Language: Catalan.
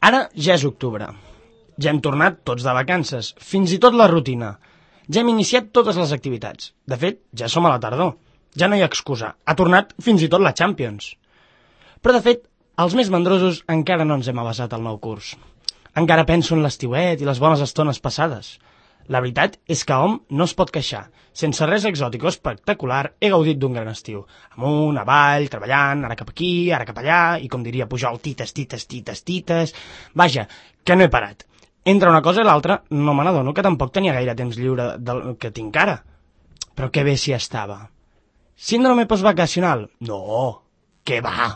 Ara ja és octubre. Ja hem tornat tots de vacances, fins i tot la rutina. Ja hem iniciat totes les activitats. De fet, ja som a la tardor. Ja no hi ha excusa. Ha tornat fins i tot la Champions. Però, de fet, els més mandrosos encara no ens hem avasat al nou curs. Encara penso en l'estiuet i les bones estones passades. La veritat és que hom no es pot queixar. Sense res exòtic o espectacular, he gaudit d'un gran estiu. Amunt, avall, treballant, ara cap aquí, ara cap allà, i com diria Pujol, tites, tites, tites, tites... Vaja, que no he parat. Entre una cosa i l'altra, no me n'adono que tampoc tenia gaire temps lliure del que tinc ara. Però que bé si estava. Síndrome postvacacional? No, què va?